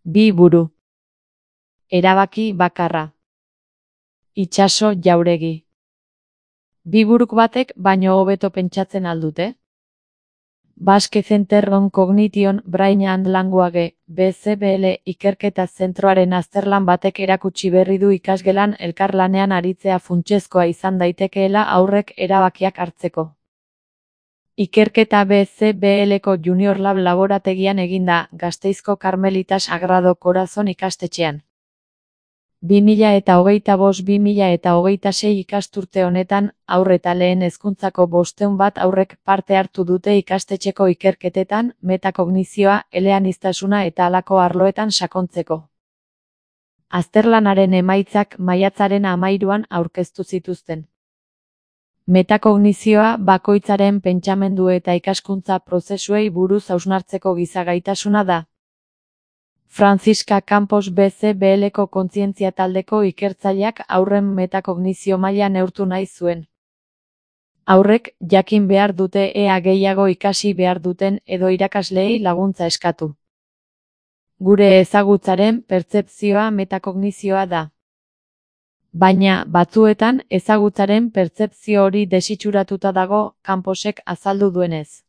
Bi buru. Erabaki bakarra. Itsaso Jauregi. Bi buruk batek baino hobeto pentsatzen aldute? Basque Center on Cognition Brain and Language, BCBL ikerketa zentroaren azterlan batek erakutsi berri du ikasgelan elkarlanean aritzea funtsezkoa izan daitekeela haurrek erabakiak hartzeko. Ikerketa BCBLko Junior Lab laborategian eginda, Gasteizko Carmelitas Sagrado Corazon ikastetxean. 2025-2026 ikasturte honetan, haur eta lehen hezkuntzako 501 haurrek parte hartu dute ikastetxeko ikerketetan, metakognizioa, eleaniztasuna eta halako arloetan sakontzeko. Azterlanaren emaitzak maiatzaren 13an aurkeztu zituzten. Metakognizioa bakoitzaren pentsamendu eta ikaskuntza prozesuei buruz hausnartzeko giza gaitasuna da. Franziska Campos BCBLko kontzientzia taldeko ikertzaileak haurren metakognizio maila neurtu nahi zuen. Haurrek jakin behar dute ea gehiago ikasi behar duten edo irakasleei laguntza eskatu. Gure ezagutzaren pertzepzioa metakognizioa da. Baina, batzuetan, ezagutzaren pertzepzio hori desitxuratuta dago, Camposek azaldu duenez.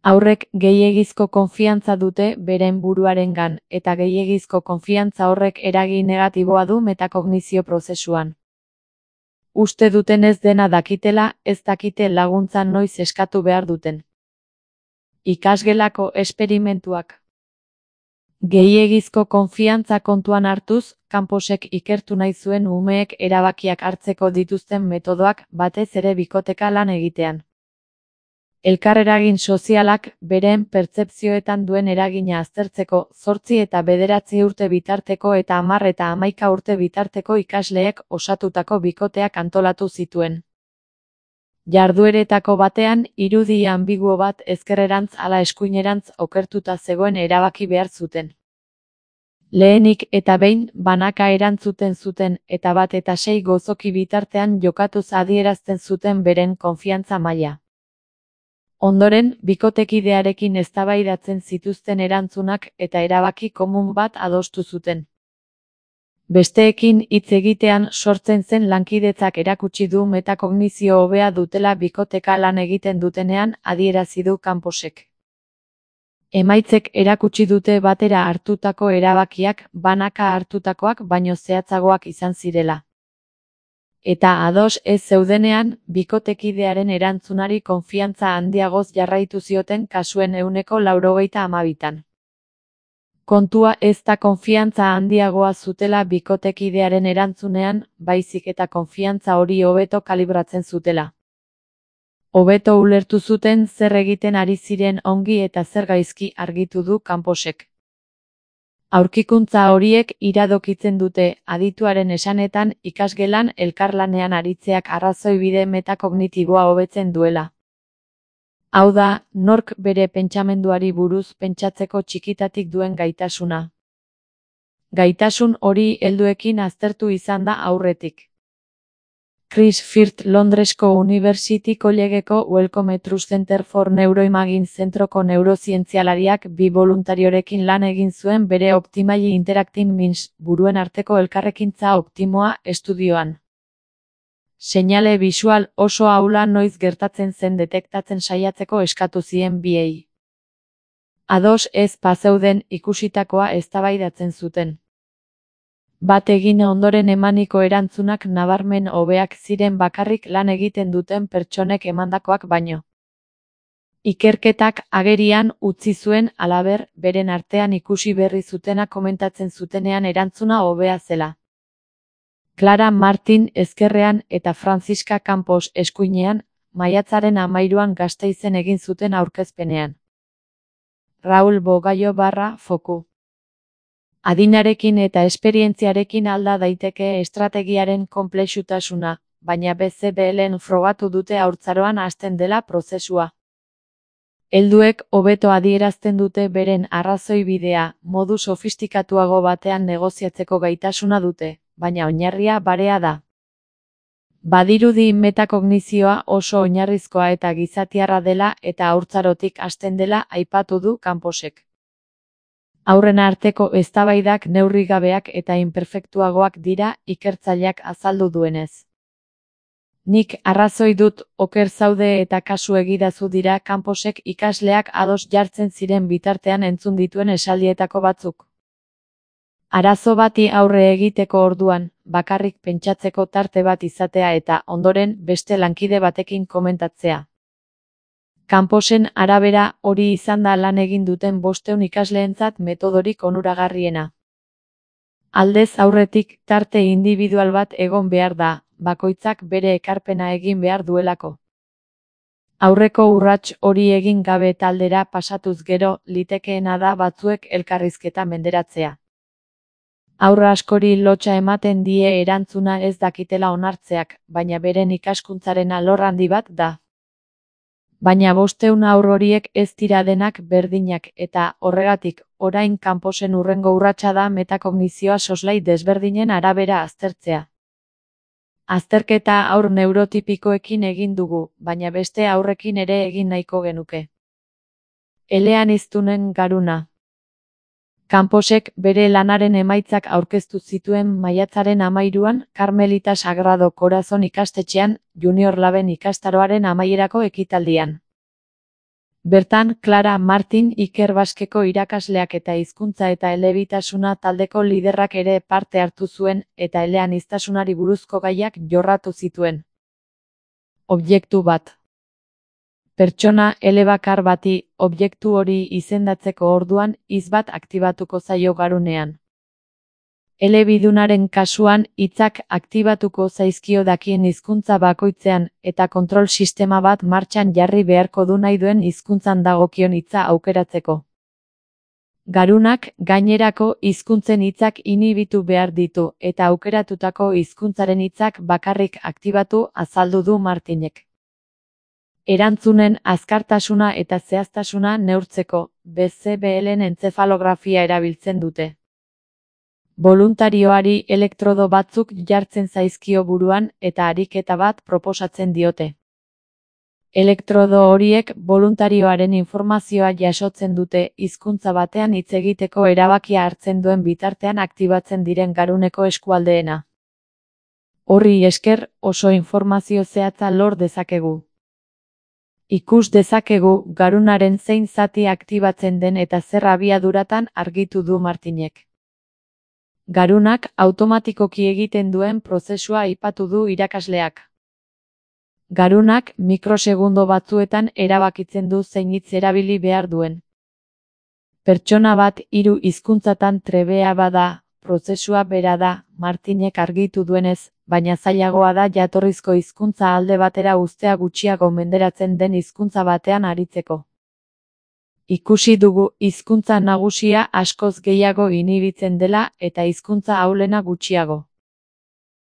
Haurrek gehiegizko konfiantza dute beren buruarengan, eta gehiegizko konfiantza horrek eragin negatiboa du metakognizio prozesuan. Uste dutenez dena dakitela, ez dakite laguntza noiz eskatu behar duten. Ikasgelako esperimentuak. Gehiegizko konfiantza kontuan hartuz, Camposek ikertu nahi zuen umeek erabakiak hartzeko dituzten metodoak batez ere bikoteka lan egitean. Elkarreragin sozialak beren pertzepzioetan duen eragina aztertzeko 8 eta 9 urte bitarteko eta 10 eta 11 urte bitarteko ikasleek osatutako bikoteak antolatu zituen. Jardueretako batean, irudi ambiguo bat ezkerrerantz ala eskuinerantz okertuta zegoen erabaki behar zuten. Lehenik eta behin, banaka erantzuten zuten eta 1 eta 6 gozoki bitartean jokatuz adierazten zuten beren konfiantza maila. Ondoren, bikotekidearekin eztabaidatzen zituzten erantzunak eta erabaki komun bat adostu zuten. Besteekin hitz egitean sortzen zen lankidetzak erakutsi du metakognizio hobea dutela bikoteka lan egiten dutenean, adierazi du Camposek. Emaitzek erakutsi dute batera hartutako erabakiak banaka hartutakoak baino zehatzagoak izan zirela. Eta ados ez zeudenean, bikotekidearen erantzunari konfiantza handiagoz jarraitu zioten kasuen 92%. Kontua ez da konfiantza handiagoa zutela bikotekidearen erantzunean, baizik eta konfiantza hori hobeto kalibratzen zutela. Hobeto ulertu zuten zer egiten ari ziren ongi eta zer gaizki argitu du Camposek. Aurkikuntza horiek iradokitzen dute, adituaren esanetan, ikasgelan elkarlanean aritzeak arrazoibide metakognitiboa hobetzen duela. Hau da, nork bere pentsamenduari buruz pentsatzeko txikitatik duen gaitasuna. Gaitasun hori helduekin aztertu izan da aurretik. Chris Firth Londresko University Collegeko Wellcome Trust Center for Neuroimaging zentroko neurozientzialariak bi voluntariorekin lan egin zuen bere Optimally Interacting Minds buruen arteko elkarrekintza optimoa estudioan. Seinale bisual oso ahula noiz gertatzen zen detektatzen saiatzeko eskatu zien biei. Ados ez bazeuden ikusitakoa eztabaidatzen zuten. Bat egin ondoren emaniko erantzunak nabarmen hobeak ziren bakarrik lan egiten duten pertsonek emandakoak baino. Ikerketak agerian utzi zuen halaber, beren artean ikusi berri zutena komentatzen zutenean erantzuna hobea zela. Clara Martin ezkerrean eta Franziska Campos eskuinean, maiatzaren 13an Gasteizen egin zuten aurkezpenean. Raul Bogaio /Foku. Adinarekin eta esperientziarekin alda daiteke estrategiaren konplexutasuna, baina BCBLen frogatu dute haurtzaroan hasten dela prozesua. Helduek hobeto adierazten dute beren arrazoibidea, modu sofistikatuago batean negoziatzeko gaitasuna dute, baina oinarria barea da. Badirudi metakognizioa oso oinarrizkoa eta gizatiarra dela eta haurtzarotik hasten dela aipatu du Camposek. Aurren arteko eztabaidak neurrigabeak eta inperfektuagoak dira, ikertzaileak azaldu duenez. Nik arrazoi dut, oker zaude eta kasu egidazu dira Camposek ikasleak ados jartzen ziren bitartean entzun dituen esaldietako batzuk. Arazo bati aurre egiteko orduan, bakarrik pentsatzeko tarte bat izatea eta, ondoren, beste lankide batekin komentatzea. Camposen arabera, hori izan da lan egin duten 500 ikasleentzat metodorik onuragarriena. Aldez aurretik, tarte individual bat egon behar da, bakoitzak bere ekarpena egin behar duelako. Aurreko urrats hori egin gabe taldera pasatuz gero, litekeena da batzuek elkarrizketa menderatzea. Haur askori lotsa ematen die erantzuna ez dakitela onartzeak, baina beren ikaskuntzaren alor handi bat da. Baina 500 haur horiek ez dira denak berdinak eta, horregatik, orain Camposen hurrengo urratsa da metakognizioa soslai desberdinen arabera aztertzea. Azterketa haur neurotipikoekin egin dugu, baina beste haurrekin ere egin nahiko genuke. Eleaniztunen garuna. Camposek bere lanaren emaitzak aurkeztu zituen maiatzaren 13an Carmelita Sagrado Corazon ikastetxean, Junior Laben ikastaroaren amaierako ekitaldian. Bertan, Clara Martin Iker Baskeko irakasleak eta hizkuntza eta elebitasuna taldeko liderrak ere parte hartu zuen, eta eleaniztasunari buruzko gaiak jorratu zituen. Objektu bat. Pertsona elebakar bati, objektu hori izendatzeko orduan, hitz bat aktibatuko zaio garunean. Elebidunaren kasuan, hitzak aktibatuko zaizkio dakien hizkuntza bakoitzean, eta kontrol sistema bat martxan jarri beharko du nahi duen hizkuntzan dagokion hitza aukeratzeko. Garunak, gainerako hizkuntzen hitzak inibitu behar ditu, eta aukeratutako hizkuntzaren hitzak bakarrik aktibatu, azaldu du Martinek. Erantzunen azkartasuna eta zehaztasuna neurtzeko, BCBL-en entzefalografia erabiltzen dute. Boluntarioari elektrodo batzuk jartzen zaizkio buruan eta ariketa bat proposatzen diote. Elektrodo horiek boluntarioaren informazioa jasotzen dute hizkuntza batean hitz egiteko erabakia hartzen duen bitartean aktibatzen diren garuneko eskualdeena. Horri esker, oso informazio zehatza lor dezakegu. Ikus dezakegu garunaren zein zati aktibatzen den eta zer abiaduratan argitu du Martinek. Garunak automatikoki egiten duen prozesua aipatu du irakasleak. Garunak mikrosegundo batzuetan erabakitzen du zein hitz erabili behar duen. Pertsona bat 3 hizkuntzatan trebea bada, prozesua bera da, Martinek argitu duenez, baina zailagoa da jatorrizko hizkuntza alde batera uztea gutxiago menderatzen den hizkuntza batean aritzeko. Ikusi dugu hizkuntza nagusia askoz gehiago inibitzen dela eta hizkuntza ahulena gutxiago.